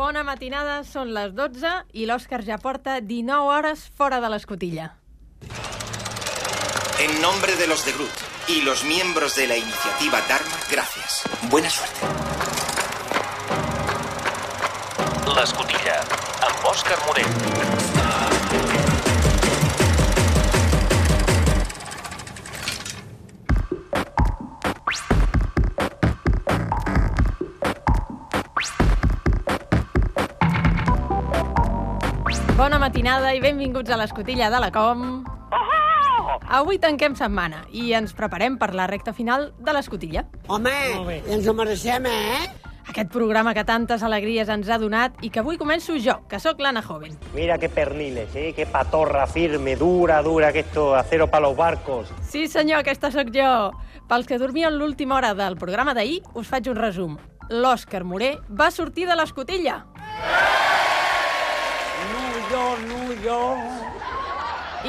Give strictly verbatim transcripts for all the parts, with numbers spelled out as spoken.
Bona matinada, són les dotze i l'Òscar ja porta dinou hores fora de l'escotilla. En nombre de los de Groot y los miembros de la iniciativa Dharma, gracias. Buena suerte. L'escotilla, amb Òscar Morell. Bona matinada i benvinguts a l'escotilla de la Com. Avui tanquem setmana i ens preparem per la recta final de l'escotilla. Home, ens ho mereixem, eh? Aquest programa que tantes alegries ens ha donat i que avui començo jo, que sóc l'Anna Joven. Mira qué perniles, ¿eh? Qué patorra firme, dura, dura, que esto, acero para los barcos. Sí, senyor, aquesta sóc jo. Pels que dormien l'última hora del programa d'ahir, us faig un resum. L'Òscar Moré va sortir de l'escotilla. Jo, no, jo...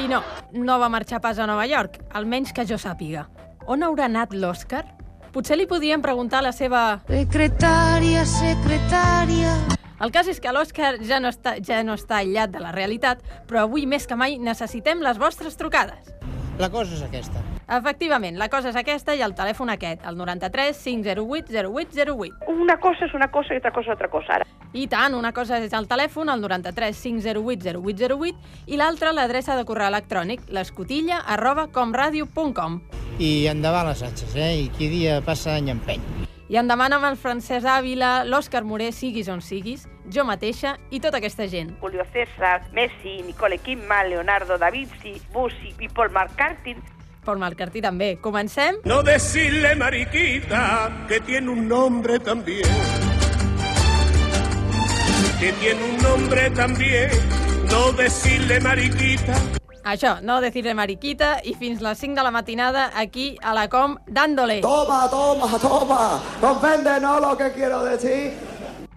I no, no va marxar pas a Nova York, almenys que jo sàpiga. On haurà anat l'Òscar? Potser li podríem preguntar a la seva... Secretària, secretària... El cas és que l'Òscar ja, no està, ja no està aïllat de la realitat, però avui més que mai necessitem les vostres trucades. La cosa és aquesta. Efectivament, la cosa és aquesta i el telèfon aquest, el noranta-tres cinc zero vuit zero vuit zero vuit. Una cosa és una cosa i altra cosa és altra cosa, ara. I tant, una cosa és el telèfon, el noranta-tres cinc zero vuit zero vuit zero vuit, i l'altra l'adreça de correu electrònic, l'escotilla arroba comradio punt com. I endavant les atxes, eh? I qui dia passa any empeny. I en demana amb el Francesc Ávila, l'Òscar Moré, siguis on siguis, jo mateixa i tota aquesta gent. Julio César, Messi, Nicole Kidman, Leonardo da Vinci, Bussi i Paul McCartney. Paul McCartney també. Comencem? No decirle mariquita que tiene un nombre también. Que tiene un nombre también. No decirle mariquita. Això, no decirle mariquita, i fins les cinc de la matinada aquí a la Com, dándole. Toma, toma, toma. Comprende, no, lo que quiero decir.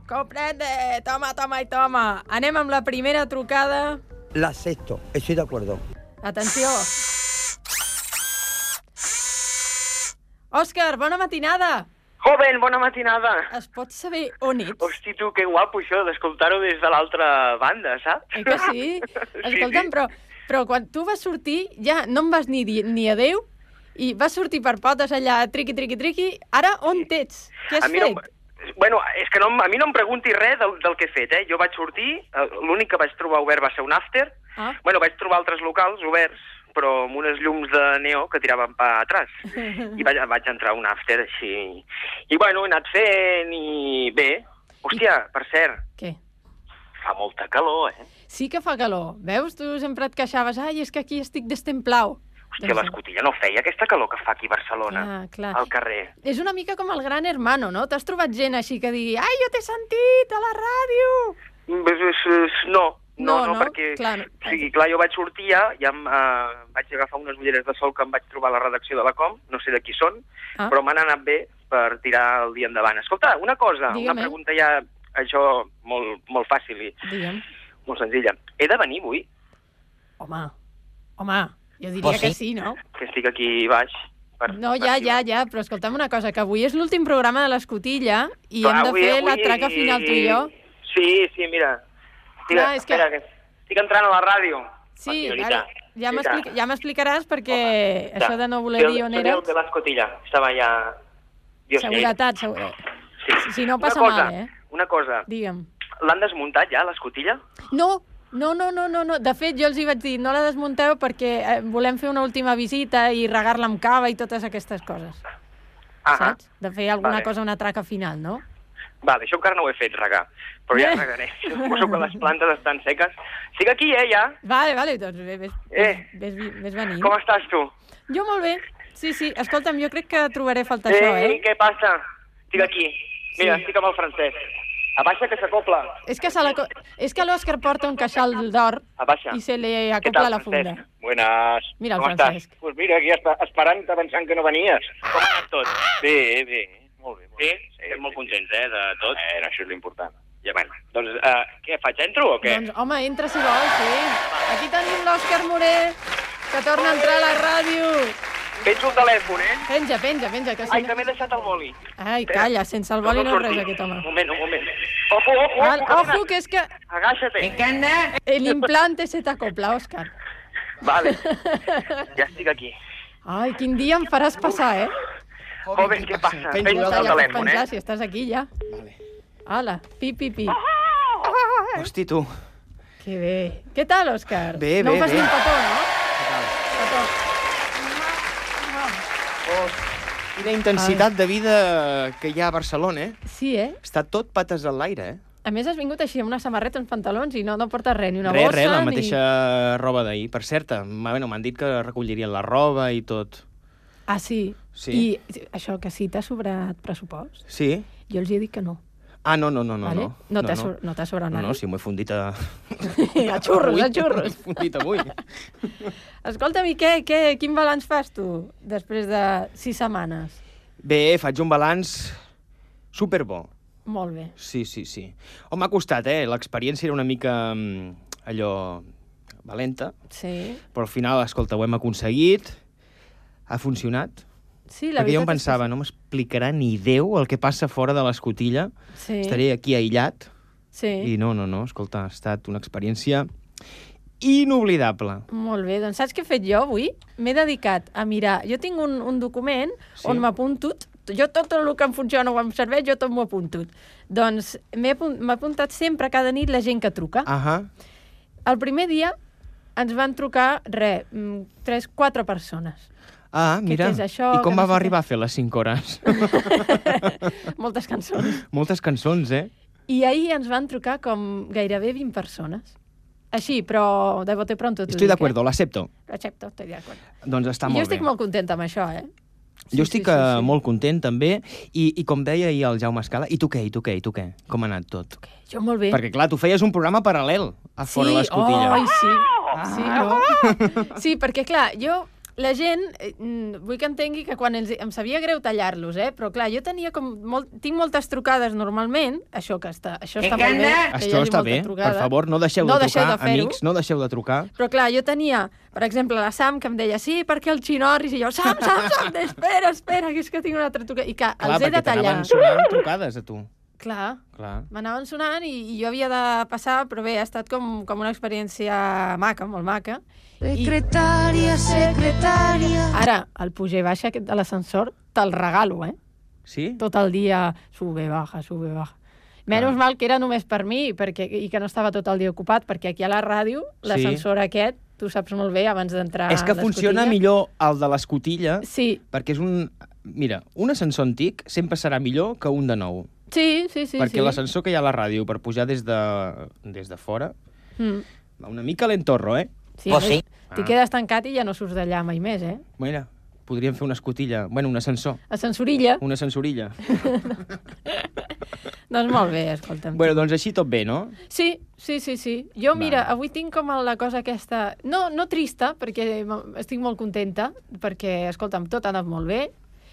Comprende, toma, toma i toma. Anem amb la primera trucada. La acepto, estoy de acuerdo. Atenció. Òscar, bona matinada. Joven, bona matinada. Es pot saber on ets? Hosti, tu, que guapo això d'escoltar-ho des de l'altra banda, saps? Eh que sí? Escolta'm, sí. però, però quan tu vas sortir ja no em vas ni dir ni adéu i vas sortir per potes allà, triqui, triqui, triqui. Ara on t'ets? Què has fet? No, bueno, és que no, a mi no em pregunti res del, del que he fet, eh? Jo vaig sortir, l'únic que vaig trobar obert va ser un after. Ah. Bueno, vaig trobar altres locals oberts, però amb unes llums de neó que tiraven pa atrás. I vaig, vaig entrar a un after així. I bueno, he anat fent i bé. Hòstia, I... per cert. Què? Fa molta calor, eh? Sí que fa calor. Veus? Tu sempre et queixaves. Ai, és que aquí estic destemplau. Hòstia, doncs... l'escotilla no feia aquesta calor que fa aquí a Barcelona, clar, clar. al carrer. És una mica com el Gran Hermano, no? T'has trobat gent així que digui ai, jo t'he sentit a la ràdio. No. No, no, no, no, perquè clar, no. O sigui, clar, jo vaig sortir ja, ja em, uh, vaig agafar unes ulleres de sol que em vaig trobar a la redacció de la Com, no sé de qui són, ah. però m'han anat bé per tirar el dia endavant. Escolta, una cosa, Digue'm, una pregunta ja, això, molt, molt fàcil i Digue'm. molt senzilla. He de venir avui? Home, home, jo diria sí? que sí, no? Que estic aquí baix. Per, no, ja, ja, ja, però escolta'm una cosa, que avui és l'últim programa de l'Escotilla i clar, hem de avui, fer avui... la traca final tu i jo. Sí, sí, mira. Estic, clar, és que... espera, que estic entrant a la ràdio. Sí, ara, ja m'explica, ja m'explicaràs perquè home, això de no voler dir on eres... Soy el de l'escotilla, estava ja... Dios Seguretat, seguretat. Sí. Si no passa una cosa, mal, eh? Una cosa, Digue'm. l'han desmuntat ja, l'escotilla? No, no, no, no, no, no. De fet, jo els hi vaig dir, no la desmunteu perquè eh, volem fer una última visita i regar-la amb cava i totes aquestes coses. Ah, saps? De fer alguna vale. cosa, una traca final, no? Vale, això encara no ho he fet, regar, però ja Eh. regaré. Suposo que les plantes estan seques. Estic aquí, eh, ja. Vale, vale, doncs ves, ves, Eh. ves, ves, ves venint. Com estàs, tu? Jo molt bé. Sí, sí. Escolta'm, jo crec que trobaré a faltar eh, això, eh? què passa? Estic aquí. Mira, Sí. estic amb el Francesc. Abaixa, que s'acopla. És que, se la... co- és que l'Òscar porta un queixal d'or Abaixa. i se li Què acopla tal, la funda. Francesc? Buenas. Mira el Com Francesc. estàs? Pues mira, aquí esp esperant, pensant que no venies. Com ha anat tot? Bé, bé, molt bé. Molt Sí? bé. Estem molt contents, eh, de tot. Eh, això és l'important. Ja, bueno, doncs, uh, què, faig entro o què? Doncs, home, entra si vols, sí. Aquí tenim l'Òscar Moré, que torna a entrar a la ràdio. Penjo el telèfon, eh? Penja, penja, penja, que si Ai, no... que m'he deixat el boli. Ai, calla, sense el boli no, no res, aquest home. Un moment, un moment. Ojo, ojo, Al, ojo. ojo, que és que... Agaixa't. L'implante se t'acopla, Òscar. Vale. Ja estic aquí. Ai, quin dia em faràs passar, eh? Joven, què passa? Penjo Penjo Ja el pots telèfon, penjar, eh? si estàs aquí, ja. Vale. Hola, pi, pi, pi. Hosti, tu. Que bé. Què tal, Òscar? Bé, no bé, em fas bé. ni un petó, no? Què tal? Petó. Quina intensitat de vida que hi ha a Barcelona, eh? Sí, eh? Està tot pates en l'aire, eh? A més, has vingut així amb una samarreta, uns pantalons i no, no portes res, ni una Res, bossa, res, la ni... mateixa roba d'ahir. Per cert, m'ha bueno, m'han dit que recollirien la roba i tot. Ah, sí? Sí. I això, que sí t'ha sobrat pressupost? Sí? Jo els he dit que no. Ah, no, no, no, no. Vale? No, No t'ha so- no t'ha sobrat No, nada. no, sí, m'ho he fundit a... A xurros, a xurros. M'ho he fundit avui. Escolta'm, i què, què, quin balanç fas tu després de sis setmanes? Bé, faig un balanç superbo. Molt bé. Sí, sí, sí. Oh, m'ha costat, eh? L'experiència era una mica mm, allò valenta, Sí. però al final, escolta, ho hem aconseguit, ha funcionat. Sí, la Perquè jo em veritat és que pensava, no m'explicarà ni Déu el que passa fora de l'escotilla, Sí. estaré aquí aïllat, Sí. i no, no, no, escolta, ha estat una experiència inoblidable. Molt bé, doncs saps què he fet jo avui? M'he dedicat a mirar... Jo tinc un, un document Sí. on m'apunto... Jo tot el que em funciona o em serveix, jo tot m'ho apunto. Doncs m'he apun- m'ha apuntat sempre, cada nit, la gent que truca. Ahà. El primer dia ens van trucar, re, mm, tres, quatre persones. Ah, mira. què és això? I com Que no va sé què. arribar a fer les cinc hores? Moltes cançons. Moltes cançons, eh? I ahir ens van trucar com gairebé vint persones. Així, però de bote pronto t'ho Estoy de dic, acuerdo, l'acepto. Eh? L'accepto, estoy de acuerdo. Doncs està I molt jo estic bé. molt contenta amb això, eh? Jo estic eh, molt content, també, i, i com deia ahir el Jaume Escala, i tu què, i tu què, i tu què? Com ha anat tot? Jo molt bé. Perquè, clar, tu feies un programa paral·lel a fora sí, l'escotilla. Oh, sí, sí, no? Sí, perquè, clar, jo... La gent, eh, mm, vull que entengui que quan els, em sabia greu tallar-los, eh? Però clar, jo tenia com molt, tinc moltes trucades normalment, això que està, això està molt bé. que hi Això hagi està molta bé, trucada. per favor, no deixeu No de deixeu trucar, de fer-ho. amics, no deixeu de trucar. Però clar, jo tenia, per exemple, la Sam que em deia sí, perquè el Xinorris, i jo, Sam, Sam, Sam, espera, espera, que és que tinc una altra trucada. I que Clar, els he de perquè tallar. t'anaven sonant trucades a tu. Clar, Clar. m'anaven sonant i, i jo havia de passar, però bé, ha estat com, com una experiència maca, molt maca. Secretària, secretària. Ara, el pujar i baixa aquest de l'ascensor, te'l regalo, eh? Sí? Tot el dia sube, baja, sube, baja. Menys Ah. mal que era només per mi perquè, i que no estava tot el dia ocupat, perquè aquí a la ràdio, l'ascensor aquest, tu saps molt bé, abans d'entrar És que a funciona l'escotilla. millor el de l'escotilla, Sí. perquè és un... Mira, un ascensor antic sempre serà millor que un de nou. Sí, sí, sí. perquè sí. l'ascensor que hi ha a la ràdio per pujar des de, des de fora Mm. va una mica lentorro, eh? Sí, Pues a sí. més, T'hi Ah. quedes tancat i ja no surts d'allà mai més, eh? Mira, podríem fer una escotilla... Bueno, un ascensor. Ascensorilla. Una ascensorilla. Doncs molt bé, escolta'm. Bueno, doncs així tot bé, no? Sí, sí, sí, sí. Jo, Va. mira, avui tinc com la cosa aquesta... No, no trista, perquè m- estic molt contenta, perquè, escolta'm, tot ha anat molt bé,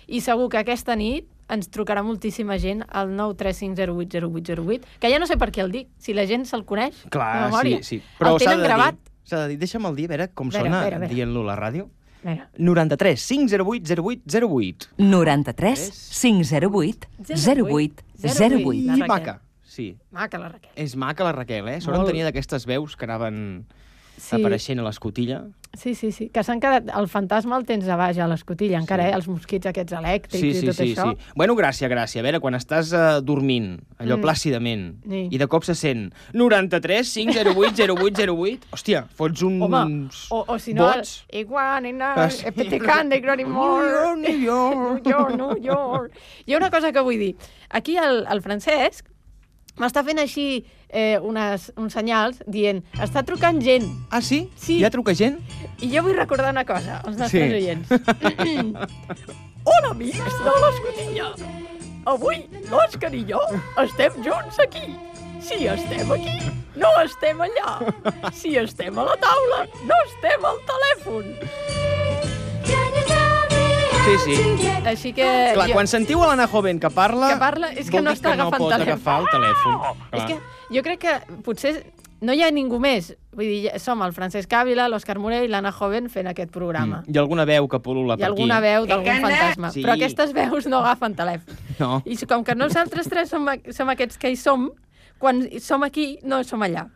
i segur que aquesta nit ens trucarà moltíssima gent al nou tres cinc zero vuit zero vuit zero vuit, que ja no sé per què el dic, si la gent se'l coneix de Clar, memòria. sí, sí. Però el s'ha tenen de gravat. dir, s'ha de dir, deixa'm el dir, a veure com A veure, sona a veure, a veure. dient-lo a la ràdio. Mira. noranta-tres cinc zero vuit zero vuit zero vuit. noranta-tres cinc zero vuit zero vuit zero vuit. La I Raquel. maca, sí. Maca, la Raquel. És maca la Raquel, eh? Sort en Molt. tenia d'aquestes veus que anaven Sí. apareixent a l'escotilla. Sí, sí, sí. Que s'han quedat... El fantasma el tens a baix a l'escotilla, encara, eh? Els mosquits aquests elèctrics Sí, i sí, tot sí, això. sí. Bueno, gràcia, gràcia. A veure, quan estàs uh, dormint, allò Mm. plàcidament, Sí. i de cop se sent noranta-tres cinc zero vuit zero vuit zero vuit, hòstia, fots uns Home, o, o si no... bots. Igual, nena, Ah, sí. epitecante, Glory Moore. New York, New York, New York. Hi ha una cosa que vull dir. Aquí el, el Francesc m'està fent així eh, unes, uns senyals dient està trucant gent. Ah, sí? Sí. Ja truca gent? I jo vull recordar una cosa als nostres Sí. oients. Hola, amics de l'Escotilla. Avui l'Òscar i jo estem junts aquí. Si estem aquí, no estem allà. Si estem a la taula, no estem al telèfon. Sí, sí. Així que... Clar, jo- quan sentiu a l'Anna Joven que parla... Que parla, és que vol no dir està que no agafant pot telèfon. agafar el telèfon. És Clar. que jo crec que potser no hi ha ningú més. Vull dir, som el Francesc Ávila, l'Òscar Morell i l'Anna Joven fent aquest programa. Mm. I alguna veu que pol·lula per aquí. I alguna veu d'algun fantasma. Sí. Però aquestes veus no agafen telèfon. No. I com que nosaltres tres som, som aquests que hi som, quan som aquí, no som allà.